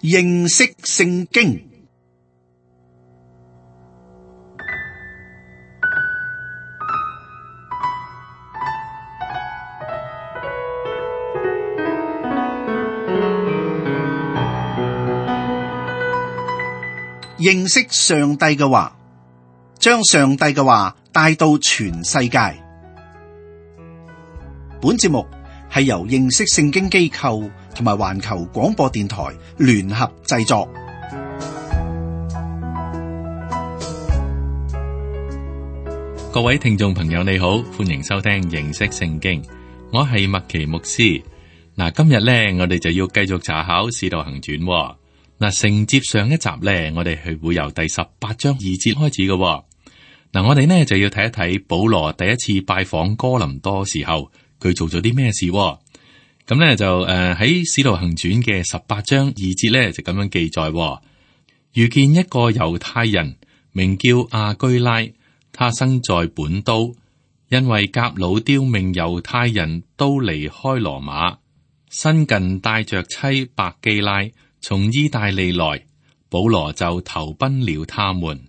認識聖經。認識上帝嘅話，將上帝嘅話帶到全世界。本節目係由認識聖經機構同埋環球廣播電台聯合製作。各位聽眾朋友你好，歡迎收聽認識聖經，我係麥奇牧師。嗱，今日呢，我哋就要繼續查考《使徒行傳》。嗱，承接上一集呢，我哋係會由第18章2節開始嘅。嗱，我哋呢就要睇一睇保羅第一次拜訪哥林多時候，佢做咗啲咩事。咁呢就喺《使徒行傳》嘅18章2節呢就咁樣記載：遇見一個猶太人，名叫亞居拉，他生在本都，因為革老丟命猶太人都離開羅馬，新近帶着妻百基拉從意大利來，保羅就投奔了他們。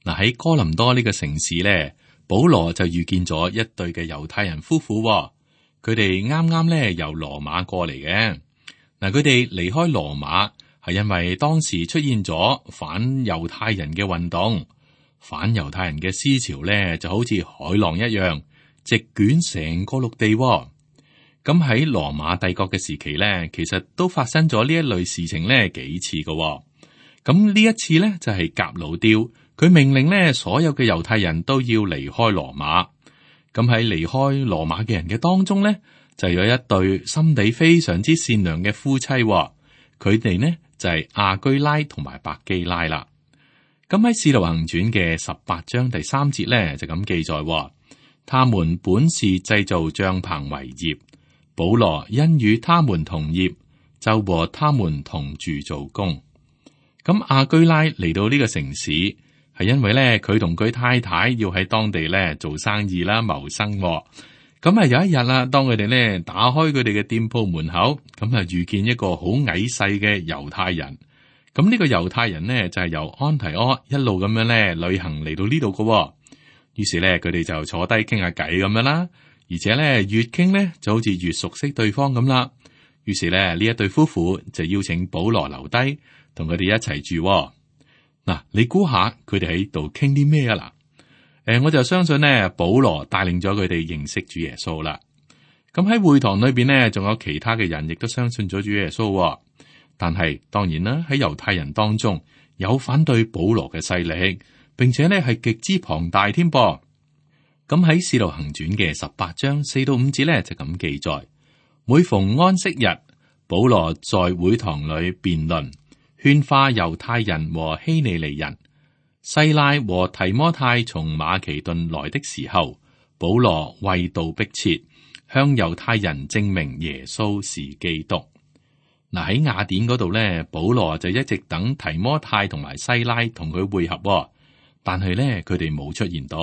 嗱，喺哥林多呢個城市呢，保羅就遇見咗一對嘅猶太人夫婦，佢哋啱啱呢由羅馬過嚟嘅。嗱，佢哋離開羅馬係因為當時出現咗反猶太人嘅運動，反猶太人嘅思潮呢就好似海浪一樣，席捲成個陸地。咁喺羅馬帝國嘅時期呢，其實都發生咗呢一類事情呢幾次嘅。咁呢一次呢，就係革老丟，佢命令呢所有嘅猶太人都要離開羅馬。咁喺離開羅馬嘅人嘅當中呢，就有一對心地非常之善良嘅夫妻，佢哋呢就係亞居拉同埋百基拉啦。咁喺《使徒行傳》嘅18章第3節呢，就咁記載，他們本是製造帳棚為業。保羅因與他們同業，就和他們同住做工。咁亞居拉嚟到呢個城市，係因為咧佢同佢太太要喺當地咧做生意啦，謀生。咁有一日啦，當佢哋咧打開佢哋嘅店鋪門口，咁遇見一個好矮細嘅猶太人。咁呢個猶太人呢，就係由安提阿一路咁樣咧旅行嚟到呢度嘅。於是咧佢哋就坐低傾下偈咁樣啦。而且咧越傾咧就好似越熟悉對方咁啦。於是咧呢一對夫婦就邀請保羅留低，同佢哋一齊住。嗱，你估下佢哋喺度傾啲咩啊？嗱，我就相信呢，保羅帶領咗佢哋認識主耶穌啦。咁喺會堂裏邊呢，仲有其他嘅人亦都相信咗主耶穌。但係當然啦，喺猶太人當中有反對保羅嘅勢力，並且呢係極之龐大添噃。咁喺《使徒行傳》嘅18章4到5節咧就咁記載：每逢安息日，保羅在會堂裏辯論，勸化猶太人和希利尼人。西拉和提摩太從馬其頓來的時候，保羅為道迫切，向猶太人證明耶穌是基督。嗱，喺雅典嗰度咧，保羅就一直等提摩太同埋西拉同佢會合，但係咧佢哋冇出現到。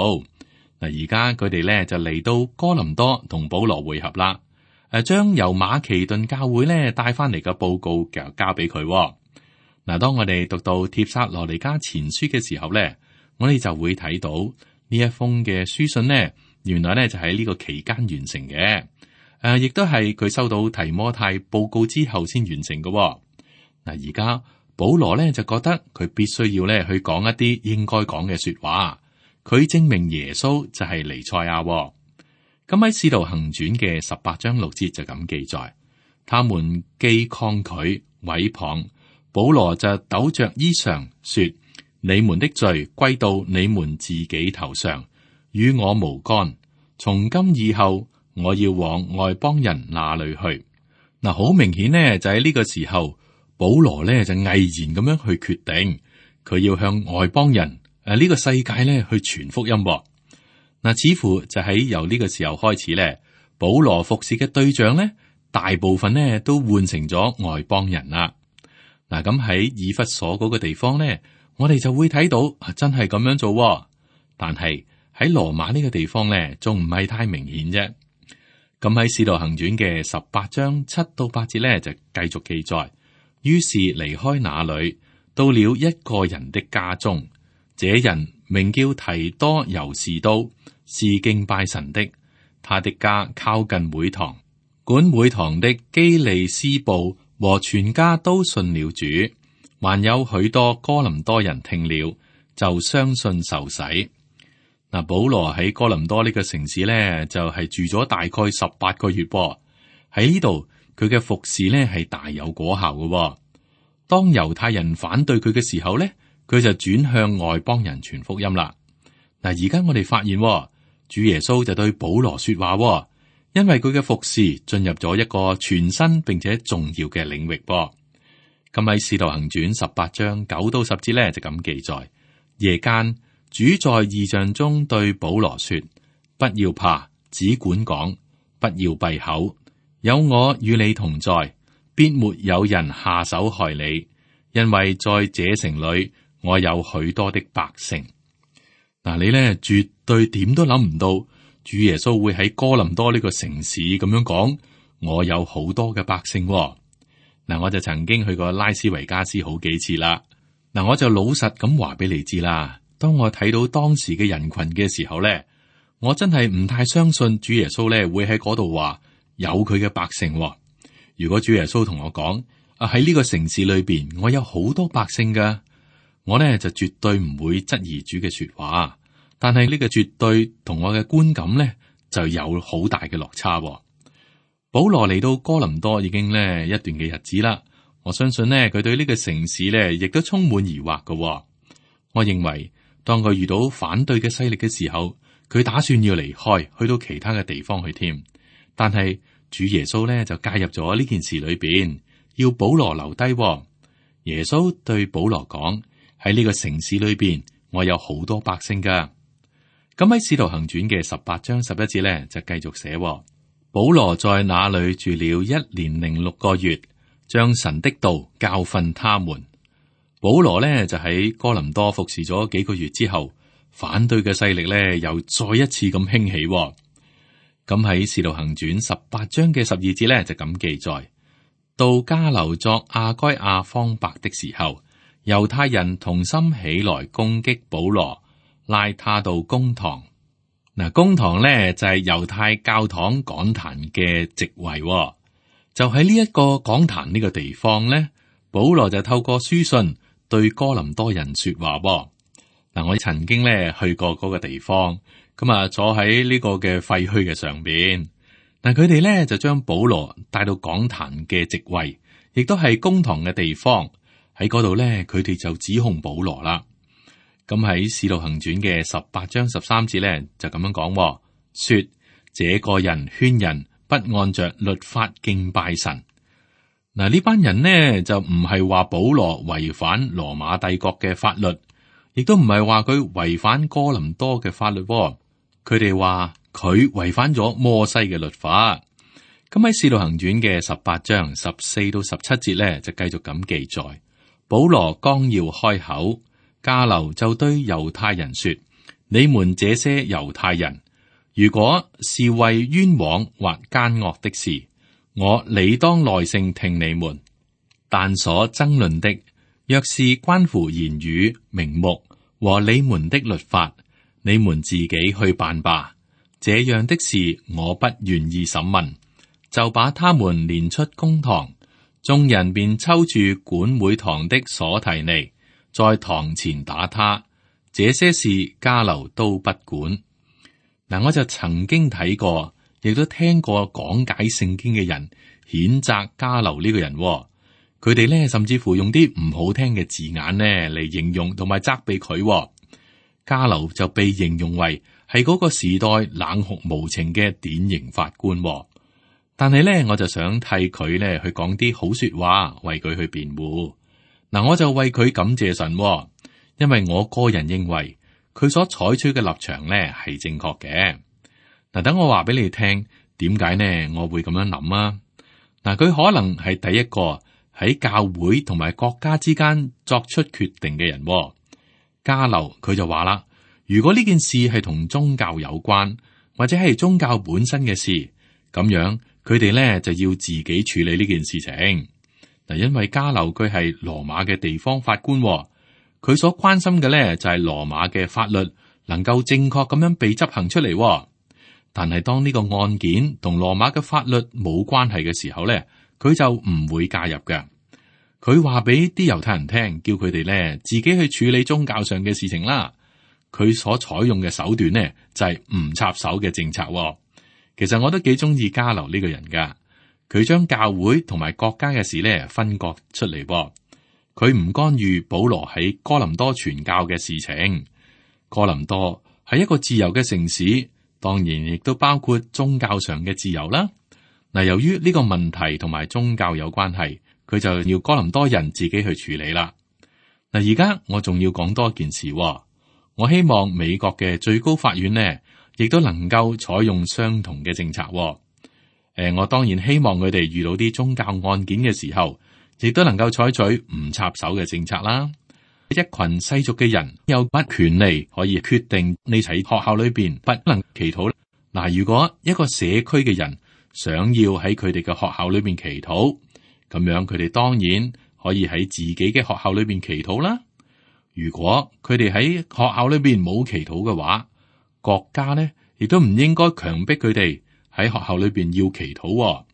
嗱，而家佢哋咧就嚟到哥林多同保羅會合啦。將由馬其頓教會咧帶翻嚟嘅報告就交俾佢。嗱，當我哋讀到帖撒羅尼迦前書嘅時候咧，我哋就會睇到呢一封嘅書信呢，原來咧就喺呢個期間完成嘅。亦都係佢收到提摩太報告之後先完成嘅。嗱，而家保羅咧就覺得佢必須要咧去講一啲應該講嘅說話。佢證明耶穌就係彌賽亞。咁喺《使徒行傳》嘅18章6節就咁記載：他們既抗拒毀謗，保羅就抖着衣裳說：你們的罪歸到你們自己頭上，與我無干。從今以後，我要往外邦人那裏去。嗱，好明顯呢，就喺呢個時候，保羅呢就毅然咁樣去決定，佢要向外邦人呢個世界咧去傳福音。嗱，似乎就喺由呢個時候開始咧，保羅服侍嘅對象咧，大部分咧都換成咗外邦人啦。嗱，咁喺以弗所嗰個地方咧，我哋就會睇到真係咁樣做。但係喺羅馬呢個地方咧，仲唔係太明顯啫。咁喺《使徒行傳》嘅18章7到8節咧，就繼續記載：於是離開那裏，到了一個人的家中。這人名叫提多猶士都，是敬拜神的。他的家靠近會堂，管會堂的基利斯布和全家都信了主，還有許多哥林多人聽了，就相信受洗。嗱，保羅喺哥林多呢個城市呢，就係住咗大概18個月噃。喺呢度佢嘅服侍呢係大有果效嘅。當猶太人反對佢嘅時候呢，佢就轉向外邦人傳福音啦。嗱，而家我哋發現主耶穌就對保羅說話，因為佢嘅服侍進入咗一個全新並且重要嘅領域噃。咁喺《使徒行傳》18章9到10節呢，就咁記載：夜間主在異象中對保羅說：不要怕，只管講，不要閉口，有我與你同在，必沒有人下手害你，因為在這城裏我有許多的百姓。嗱，你呢絕對點都諗唔到，主耶穌會喺哥林多呢個城市咁樣講，我有好多嘅百姓。嗱，我就曾經去過拉斯維加斯好幾次啦。嗱，我就老實咁話俾你知啦。當我睇到當時嘅人群嘅時候咧，我真係唔太相信主耶穌咧會喺嗰度話有佢嘅百姓。如果主耶穌同我講喺呢個城市裏邊，我有好多百姓噶，我呢就絕對唔會質疑主嘅說話。但係呢個絕對同我嘅觀感呢就有好大嘅落差。保羅嚟到哥林多已經呢一段嘅日子啦，我相信呢佢對呢個城市呢亦都充滿疑惑嘅。我認為當佢遇到反對嘅勢力嘅時候，佢打算要離開，去到其他嘅地方去添。但係主耶穌呢就介入咗呢件事裏邊，要保羅留低。耶穌對保羅講：喺呢個城市裏邊，我有好多百姓噶。咁喺《使徒行傳》嘅18章11節咧，就繼續寫：保羅在那裏住了1年0.6個月，將神的道教訓他們。保羅呢就喺哥林多服侍咗幾個月之後，反對嘅勢力呢又再一次咁興起。咁喺《使徒行傳》18章嘅12節咧就咁記載：到迦流作亞該亞方伯的時候，猶太人同心起來攻擊保羅，拉他到公堂。嗱，公堂咧就係猶太教堂講壇嘅席位。就喺呢一個講壇呢個地方咧，保羅就透過書信對哥林多人說話。嗱，我曾經咧去過嗰個地方，咁啊坐喺呢個嘅廢墟嘅上邊。但佢哋咧就將保羅帶到講壇嘅席位，亦都係公堂嘅地方。喺嗰度咧，佢哋就指控保羅啦。咁喺《使徒行傳》嘅18章13節咧，就咁樣講，說這個人勸人不按着律法敬拜神。嗱，呢班人呢就唔係話保羅違反羅馬帝國嘅法律，亦都唔係話佢違反哥林多嘅法律。佢哋話佢違反咗摩西嘅律法。咁喺《使徒行傳》嘅18章14到17節咧，就繼續咁記載：保羅剛要開口，迦流就對猶太人說：你們這些猶太人，如果是為冤枉或奸惡的事，我理當耐性聽你們；但所爭論的，若是關乎言語、名目和你們的律法，你們自己去辦吧。這樣的事我不願意審問。就把他們連出公堂，眾人便抽住管會堂的所提尼，在堂前打他。這些事迦流都不管。嗱，我就曾經睇過，亦都聽過講解聖經嘅人譴責迦流呢個人。佢哋咧甚至乎用啲唔好聽嘅字眼呢嚟形容同埋責備佢。迦流就被形容為係嗰個時代冷酷無情嘅典型法官。但係咧，我就想替佢咧去講啲好說話，為佢去辯護。嗱，我就為佢感謝神，因為我個人認為佢所採取嘅立場咧係正確嘅。嗱，等我話俾你聽，點解呢？我會咁樣諗啊？嗱，佢可能係第一個喺教會同埋國家之間作出決定嘅人。迦流佢就話啦，如果呢件事係同宗教有關，或者係宗教本身嘅事，咁樣。佢哋咧就要自己處理呢件事情。嗱，因為加流佢係羅馬嘅地方法官，佢所關心嘅咧就係羅馬嘅法律能夠正確咁樣被執行出嚟。但係當呢個案件同羅馬嘅法律冇關係嘅時候咧，佢就唔會介入嘅。佢話俾啲猶太人聽，叫佢哋咧自己去處理宗教上嘅事情啦。佢所採用嘅手段呢，就係唔插手嘅政策。其實我都幾中意加流呢個人噶，佢將教會同埋國家嘅事咧分割出嚟。佢唔干預保羅喺哥林多傳教嘅事情。哥林多係一個自由嘅城市，當然亦都包括宗教上嘅自由啦。嗱，由於呢個問題同埋宗教有關係，佢就要哥林多人自己去處理啦。嗱，而家我仲要講多一件事。我希望美國嘅最高法院呢，亦都能夠採用相同嘅政策。我當然希望佢哋遇到啲宗教案件嘅時候，亦都能夠採取唔插手嘅政策啦。一群世俗嘅人有乜權利可以決定你喺學校裏邊不能祈禱？嗱，如果一個社區嘅人想要喺佢哋嘅學校裏邊祈禱，咁樣佢哋當然可以喺自己嘅學校裏邊祈禱啦。如果佢哋喺學校裏邊冇祈禱嘅話，國家呢亦都唔應該強迫佢哋喺學校裏邊要祈禱。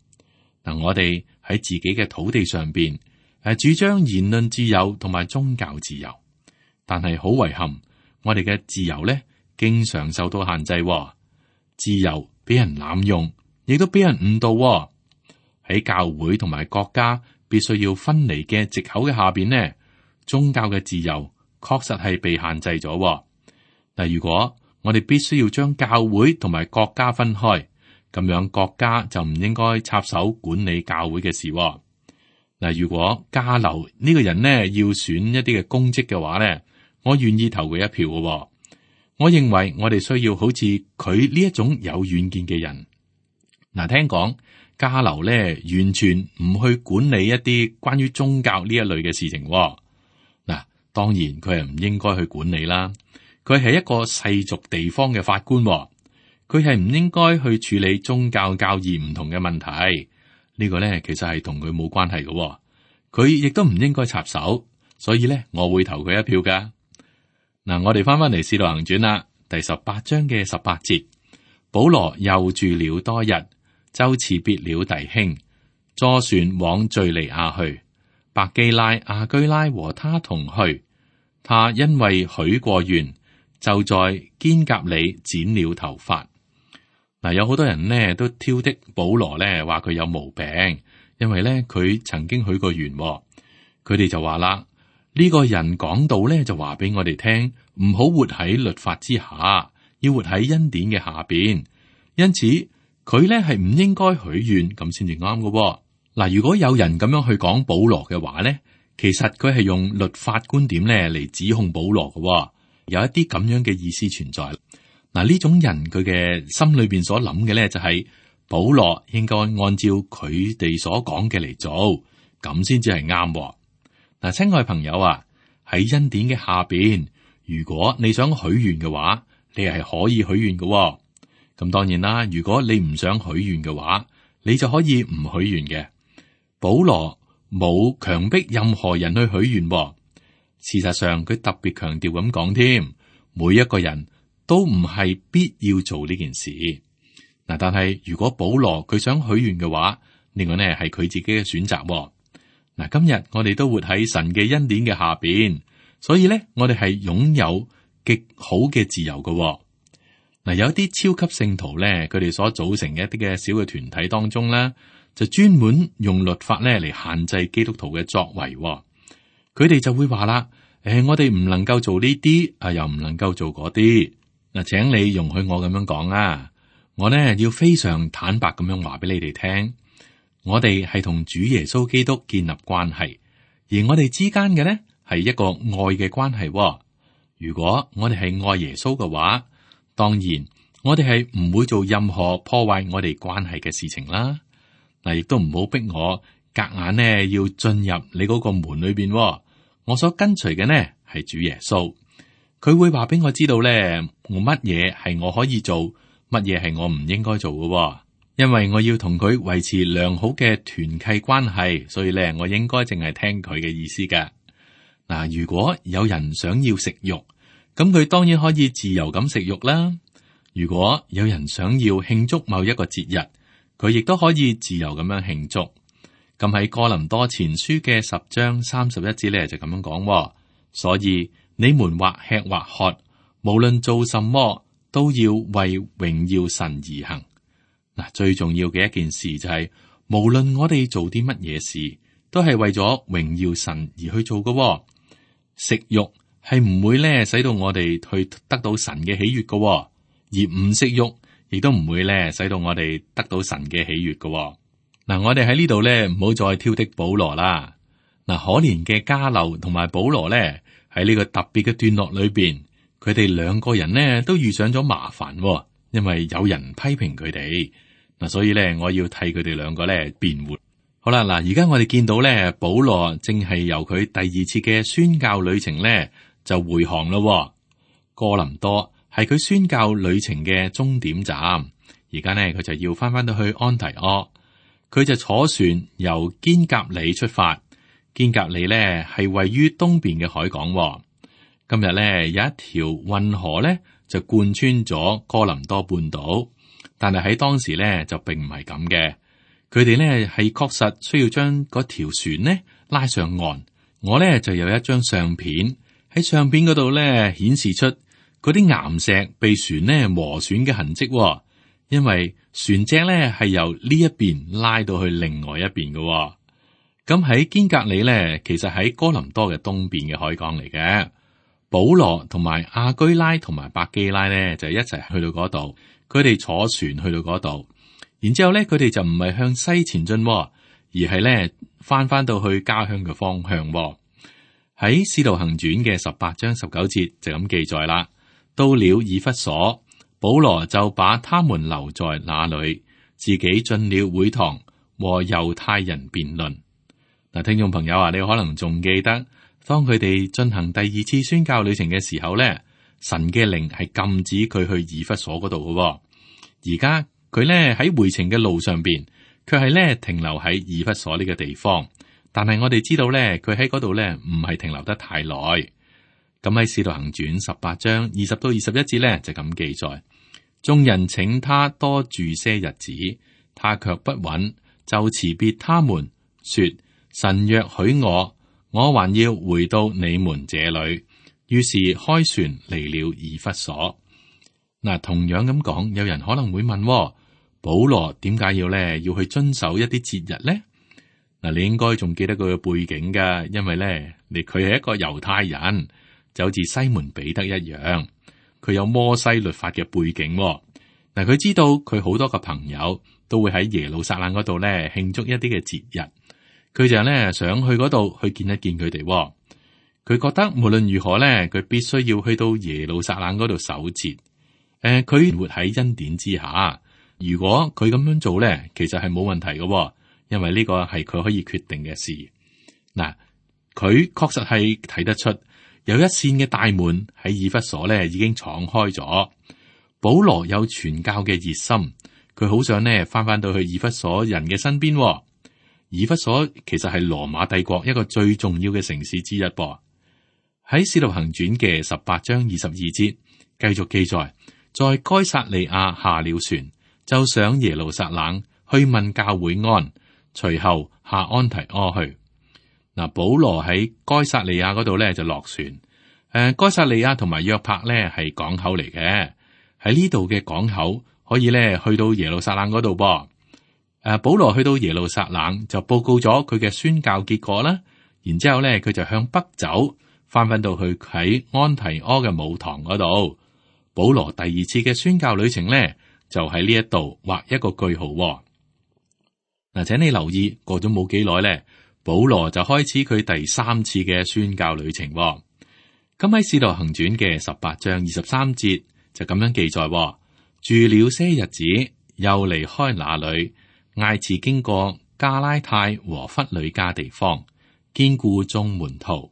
嗱，我哋喺自己嘅土地上邊主張言論自由同埋宗教自由，但係好遺憾，我哋嘅自由呢經常受到限制。自由俾人濫用，亦都俾人誤導。喺教會同埋國家必須要分離嘅藉口嘅下邊呢，宗教嘅自由確實係被限制咗。嗱，如果我哋必須要將教會同埋國家分開，咁樣國家就唔應該插手管理教會嘅事。嗱，如果加流呢個人呢要選一啲嘅公職嘅話呢，我願意投佢一票嘅。我認為我哋需要好似佢呢一種有遠見嘅人。嗱，聽講加流呢完全唔去管理一啲關於宗教呢一類嘅事情。嗱，當然佢係唔應該去管理啦。佢係一個世俗地方嘅法官，佢係唔應該去處理宗教教義唔同嘅問題。呢個呢其實係同佢冇關係嘅，佢亦都唔應該插手。所以呢，我會投佢一票噶。嗱，我哋翻嚟《使徒行傳》啦，第18章嘅18節，保羅又住了多日，就辭別了弟兄，坐船往敘利亞去。百基拉、亞居拉和他同去。他因為許過願，就在堅革哩剪了頭髮。嗱，有好多人呢都挑剔保羅呢，話佢有毛病，因為呢佢曾經許過願。佢哋就話啦，呢個人講道呢就話俾我哋聽，唔好活喺律法之下，要活喺恩典嘅下邊。因此佢呢係唔應該許願咁先至啱嘅。嗱，如果有人咁樣去講保羅嘅話呢，其實佢係用律法觀點呢嚟指控保羅嘅，有一啲咁樣嘅意思存在。嗱，呢種人佢嘅心裏邊所諗嘅咧，就係保羅應該按照佢哋所講嘅嚟做，咁先至係啱。嗱，親愛朋友啊，喺恩典嘅下邊，如果你想許願嘅話，你係可以許願嘅。咁當然啦，如果你唔想許願嘅話，你就可以唔許願嘅。保羅冇強迫任何人去許願。事實上，佢特別強調咁講添，每一個人都唔係必要做呢件事。嗱，但係如果保羅佢想許願嘅話，呢個呢係佢自己嘅選擇。嗱，今日我哋都活喺神嘅恩典嘅下邊，所以呢，我哋係擁有極好嘅自由嘅。嗱，有一啲超級聖徒呢，佢哋所組成嘅一啲嘅小嘅團體當中呢，就專門用律法呢嚟限制基督徒嘅作為。佢哋就會話啦，我哋唔能夠做呢啲，又唔能夠做嗰啲。嗱，請你容許我咁樣講啊，我呢要非常坦白咁樣話俾你哋聽，我哋係同主耶穌基督建立關係，而我哋之間嘅呢係一個愛嘅關係。如果我哋係愛耶穌嘅話，當然我哋係唔會做任何破壞我哋關係嘅事情啦。嗱，亦都唔好逼我夾硬呢要進入你嗰個門裏邊。我所跟隨嘅呢係主耶穌，佢會話俾我知道呢，我乜嘢係我可以做，乜嘢係我唔應該做嘅。因為我要同佢維持良好嘅團契關係，所以咧我應該淨係聽佢嘅意思嘅。嗱，如果有人想要食肉，咁佢當然可以自由咁食肉啦。如果有人想要慶祝某一個節日，佢亦都可以自由咁樣慶祝。咁喺哥林多前書嘅10章31節咧就咁樣講，所以你們或吃或喝，無論做什麼，都要為榮耀神而行。嗱，最重要嘅一件事就係，無論我哋做啲乜嘢事，都係為咗榮耀神而去做嘅。食肉係唔會咧使到我哋去得到神嘅喜悅嘅，而唔食肉亦都唔會咧使到我哋得到神嘅喜悅嘅。嗱，我哋喺呢度咧唔好再挑剔保羅啦。嗱，可憐嘅迦流同埋保羅咧喺呢個特別嘅段落裏邊，佢哋兩個人呢都遇上咗麻煩，因為有人批評佢哋。嗱，所以咧我要替佢哋兩個咧辯護。好啦，嗱，而家我哋見到咧，保羅正係由佢第二次嘅宣教旅程咧就回航咯。哥林多係佢宣教旅程嘅終點站，而家呢，佢就要翻到去安提阿，佢就坐船由堅革哩出發。堅革哩咧係位於東邊嘅海港。今日咧有一條運河咧就貫穿咗哥林多半島，但係喺當時咧就並唔係咁嘅。佢哋咧係確實需要將嗰條船呢拉上岸。我咧就有一張相片，喺相片嗰度咧顯示出嗰啲岩石被船呢磨損嘅痕跡，因為船隻咧係由呢一邊拉到去另外一邊嘅。咁喺堅革哩咧，其實喺哥林多嘅東邊嘅海港嚟嘅。保羅同埋亞居拉同埋百基拉咧就一齊去到嗰度，佢哋坐船去到嗰度。然之後咧，佢哋就唔係向西前進，而係咧翻到去家鄉嘅方向。喺《使徒行傳》嘅18章19節就咁記載啦。到了以弗所，保羅就把他們留在那裏，自己進了會堂和猶太人辯論。嗱，聽眾朋友啊，你可能仲記得，當佢哋進行第二次宣教旅程嘅時候咧，神嘅靈係禁止佢去以弗所嗰度嘅。而家佢咧喺回程嘅路上邊，佢係咧停留喺以弗所呢個地方。但係我哋知道咧，佢喺嗰度咧唔係停留得太耐。咁喺《使徒行傳》18章20到21節咧就咁記載：眾人請他多住些日子，他卻不允，就辭別他們，說：神若許我還要回到你們這裏。於是開船離了以弗所。嗱，同樣咁講，有人可能會問：保羅點解要去遵守一啲節日呢？嗱，你應該仲記得佢嘅背景噶，因為咧，佢係一個猶太人，就好似西門彼得一樣，佢有摩西律法嘅背景。嗱，佢知道佢好多個朋友都會喺耶路撒冷嗰度咧慶祝一啲嘅節日，佢就咧想去嗰度去見一見佢哋。佢覺得無論如何咧，佢必須要去到耶路撒冷嗰度守節。佢活喺恩典之下，如果佢咁樣做咧，其實係冇問題嘅，因為呢個係佢可以決定嘅事。嗱，佢確實係睇得出有一扇嘅大門喺以弗所咧已經敞開咗。保羅有傳教嘅熱心，佢好想呢翻到去以弗所人嘅身邊。以弗所其實係羅馬帝國一個最重要嘅城市之一噃。喺使徒行傳嘅18章22節繼續記載，在該撒利亞下了船，就上耶路撒冷去問教會安，隨後下安提阿去。嗱，保羅喺該撒利亞嗰度咧就落船。該撒利亞同埋約帕咧係港口嚟嘅，喺呢度嘅港口可以咧去到耶路撒冷嗰度噃。保羅去到耶路撒冷就報告咗佢嘅宣教結果啦。然之後咧佢就向北走，翻到去喺安提阿嘅母堂嗰度。保羅第二次嘅宣教旅程咧就喺呢一度畫一個句號。嗱，請你留意，過咗冇幾耐咧，保羅就開始佢第三次嘅宣教旅程。咁喺《使徒行傳》嘅18章23節就咁樣記載：住了些日子，又離開那裏，挨次經過加拉太和弗呂家地方，堅固眾門徒。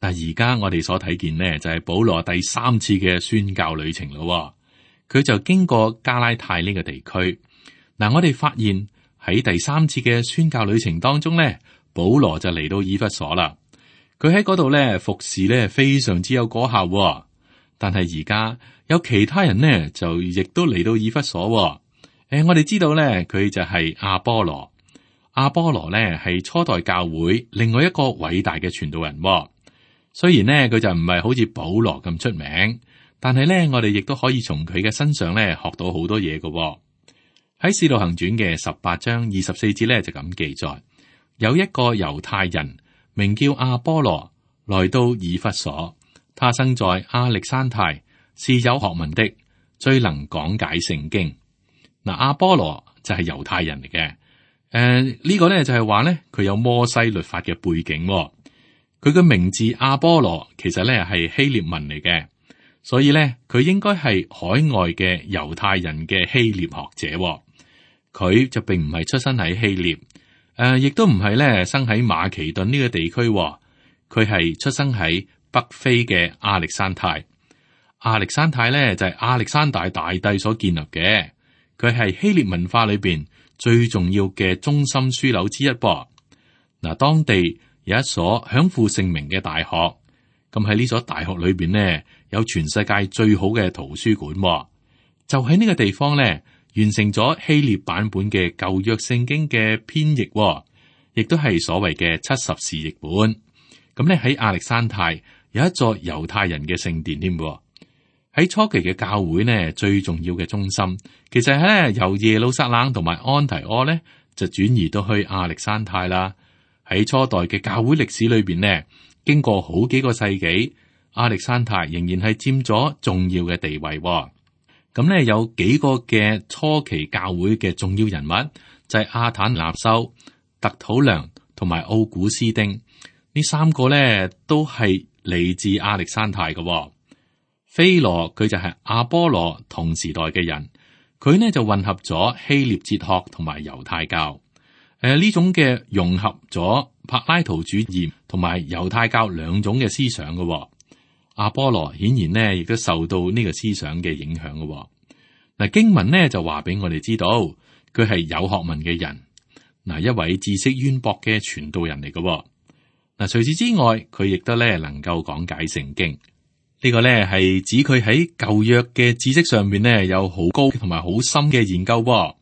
嗱，而家我哋所睇見呢，就係保羅第三次嘅宣教旅程咯。佢就經過加拉太呢個地區。嗱，我哋發現喺第三次嘅宣教旅程當中咧，保羅就嚟到以弗所啦。佢喺嗰度咧服侍咧非常之有果效喎。但係而家有其他人呢，就亦都嚟到以弗所喎。我哋知道咧，佢就係阿波羅。阿波羅咧係初代教會另外一個偉大嘅傳道人喎。雖然呢，佢就唔係好似保羅咁出名，但係咧我哋亦都可以從佢嘅身上咧學到好多嘢嘅喎。喺《使徒行傳》嘅18章24節咧就咁記載，有一個猶太人名叫阿波羅，來到以弗所。他生在亞歷山太，是有學問的，最能講解聖經。嗱，阿波羅就係猶太人嚟嘅。呢個咧就係話咧，佢有摩西律法嘅背景。佢嘅名字阿波羅其實咧係希臘文嚟嘅，所以咧佢應該係海外嘅猶太人嘅希臘學者。佢就並唔係出生喺希臘，亦都唔係咧生喺馬其頓呢個地區。佢係出生喺北非嘅亞歷山太。亞歷山太咧就係亞歷山大大帝所建立嘅，佢係希臘文化裏邊最重要嘅中心樞紐之一噃。嗱，當地有一所享負盛名嘅大學，咁喺呢所大學裏邊呢，有全世界最好嘅圖書館，就喺呢個地方咧完成咗希臘版本嘅舊約聖經嘅編譯，亦都係所謂嘅70士譯本。咁咧喺亞歷山太有一座猶太人嘅聖殿添。喺初期嘅教會呢，最重要嘅中心，其實係咧由耶路撒冷同埋安提阿咧就轉移到去亞歷山太啦。喺初代嘅教會歷史裏邊呢，經過好幾個世紀，亞歷山太仍然係佔咗重要嘅地位。咁咧有幾個嘅初期教會嘅重要人物，就係亞坦納修、特土良同埋奧古斯丁。呢三個咧都係嚟自亞歷山太嘅。菲羅佢就係阿波羅同時代嘅人，佢呢就混合咗希臘哲學同埋猶太教。呢種嘅融合咗柏拉圖主義同埋猶太教兩種嘅思想嘅。阿波羅顯然呢亦都受到呢個思想嘅影響嘅。嗱，經文呢就話俾我哋知道，佢係有學問嘅人，嗱，一位知識淵博嘅傳道人嚟嘅。嗱，除此之外，佢亦都咧能夠講解聖經。呢個咧係指佢喺舊約嘅知識上面呢有好高同埋好深嘅研究。嗱，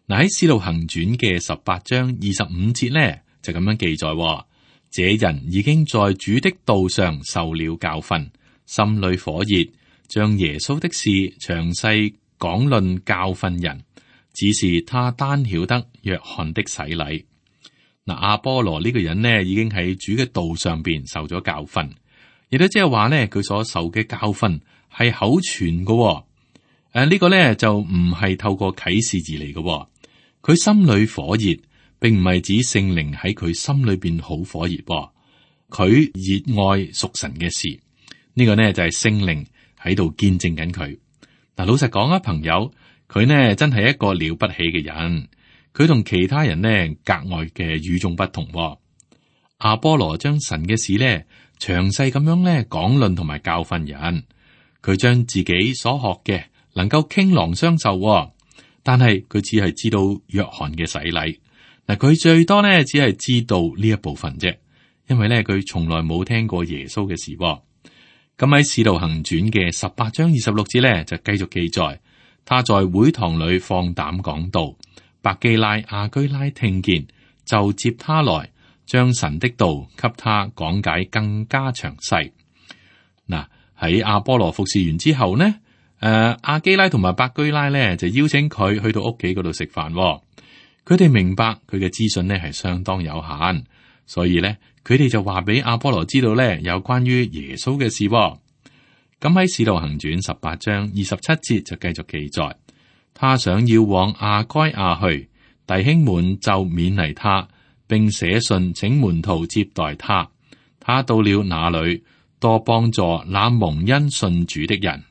喺《使徒行傳》嘅18章25節呢就咁樣記載：這人已經在主的道上受了教訓，心裏火熱，將耶穌的事詳細講論教訓人，只是他單曉得約翰的洗禮。嗱，阿波羅呢個人呢，已經喺主嘅道上邊受咗教訓，亦都即係話呢，佢所受嘅教訓係口傳嘅。呢個呢，就唔係透過啟示而嚟嘅。佢心裏火熱，並唔係指聖靈喺佢心裏邊好火熱。佢熱愛屬神嘅事，呢個呢，就係聖靈喺度見證緊佢。嗱，老實講啊，朋友，佢呢真係一個了不起嘅人。佢同其他人呢格外嘅與眾不同。阿波羅將神嘅事呢詳細咁樣呢講論同埋教訓人，佢將自己所學嘅能夠傾囊相授，但係佢只係知道約翰嘅洗禮。嗱，佢最多呢只係知道呢一部分啫，因為呢佢從來冇聽過耶穌嘅事。咁喺《使徒行傳》嘅18章26節呢就繼續記載，他在會堂裏放膽講道。百基拉、亞居拉聽見，就接他來，將神的道給他講解更加詳細。嗱，喺阿波羅服侍完之後呢，亞基拉同埋百基拉呢就邀請佢去到屋企嗰度食飯。佢哋明白佢嘅資訊呢係相當有限，所以呢，佢哋就話俾阿波羅知道呢有關於耶穌嘅事。咁喺《使徒行傳》18章27節就繼續記載。他想要往亞該亞去，弟兄們就勉勵他，並寫信請門徒接待他。他到了那裏，多幫助那蒙恩信主的人。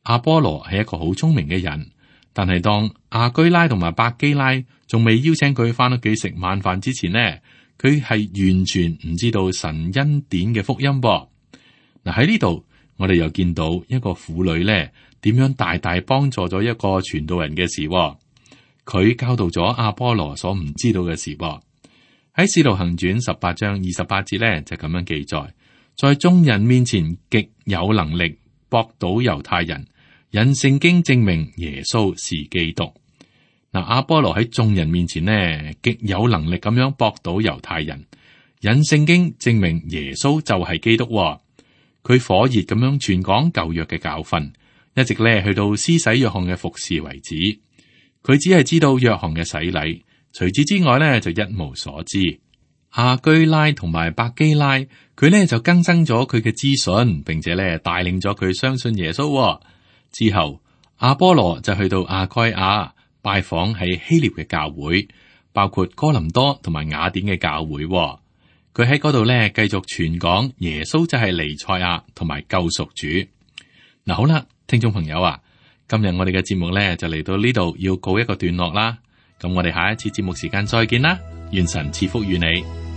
阿波羅係一個好聰明嘅人，但係當亞居拉同埋百基拉仲未邀請佢翻屋企食晚飯之前呢，佢係完全唔知道神恩典嘅福音噃。嗱，喺呢度，我哋又見到一個婦女呢，點樣大大幫助咗一個傳道人嘅事。佢教導咗阿波羅所唔知道嘅事。喺《使徒行傳》18章28節咧就咁樣記載，在眾人面前極有能力駁倒猶太人，引聖經證明耶穌是基督。嗱，阿波羅喺眾人面前呢，極有能力咁樣駁倒猶太人，引聖經證明耶穌就係基督。佢火熱咁樣傳講舊約嘅教訓，一直咧去到施洗約翰嘅服侍為止。佢只係知道約翰嘅洗禮，除此之外咧就一無所知。亞居拉同埋百基拉，佢咧就更新咗佢嘅資訊，並且咧帶領咗佢相信耶穌。之後，阿波羅就去到亞該亞拜訪喺希臘嘅教會，包括哥林多同埋雅典嘅教會。佢喺嗰度咧繼續傳講耶穌就係彌賽亞同埋救贖主。嗱，好啦，聽眾朋友啊，今日我哋嘅節目咧就嚟到呢度要告一個段落啦。咁我哋下一次節目時間再見啦，願神賜福與你。